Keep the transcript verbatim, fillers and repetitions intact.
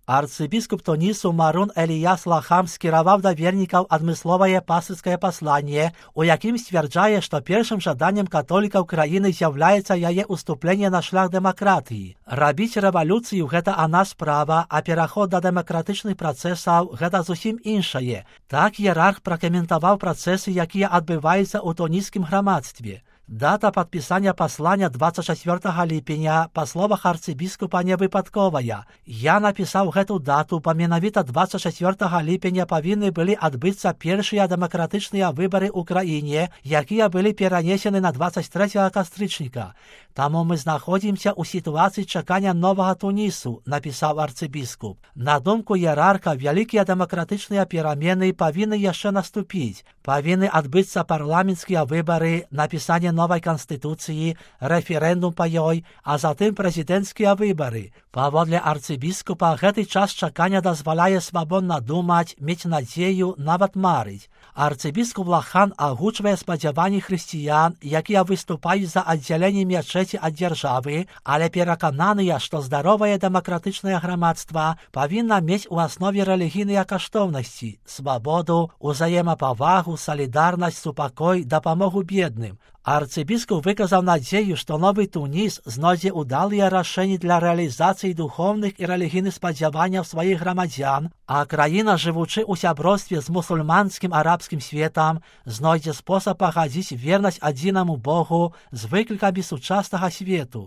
Арцыбіскуп Тунісу Марун Эліяс Лахам скіраваў да вернікаў адмысловае пастырскае пасланне, у якім сцвярджае, што першым жаданнем католікаў краіны з'яўляецца яе уступленне на шлях дэмакратыі. Рабіць рэвалюцыю – гэта адна справа, а пераход да дэмакратычных працэсаў – гэта зусім іншае. Так іерарх пракаментаваў працэсы, якія адбываюцца ў туніскім грамадстве. Дата падпісання паслання дваццаць чацвёртага ліпеня, па словах арцыбіскупа, не выпадковая. Я напісаў гэту дату, бо менавіта дваццаць чацвёртага ліпеня павінны былі адбыцца першыя дэмакратычныя выбары ў краіне, якія былі перанесены на дваццаць трэцяга кастрычніка. Таму мы знаходзімся ў сітуацыі чакання новага Тунісу, напісаў арцыбіскуп. На думку іерарха, вялікія дэмакратычныя перамены павінны яшчэ наступіць. Павінны адбыцца парламенцкія выбары, напісанне новай канстытуцыі, рэферэндум па ёй, а затым прэзідэнцкія выбары. Паводле арцыбіскупа, гэты час чакання дазваляе свабодна думаць, мець надзею, нават марыць. Арцыбіскуп Лахан агучвае спадзяванні хрысціян, якія выступаюць за аддзяленне мячэці ад дзяржавы, але перакананыя, што здаровае дэмакратычнае грамадства павінна мець у аснове рэлігійныя каштоўнасці, свабоду, узаемапавагу, салідарнасць, супакой, дапамогу бедным. Арцыбіскуп выказаў надзею, што новы Туніс знойдзе ўдалыя рашэнні для рэалізацыі духоўных і рэлігійных спадзяванняў сваіх грамадзян, а краіна, жывучы ў сяброўстве з мусульманскім арабскім светам, знойдзе спосаб пагадзіць вернасць адзінаму Богу з выклікамі сучаснага свету.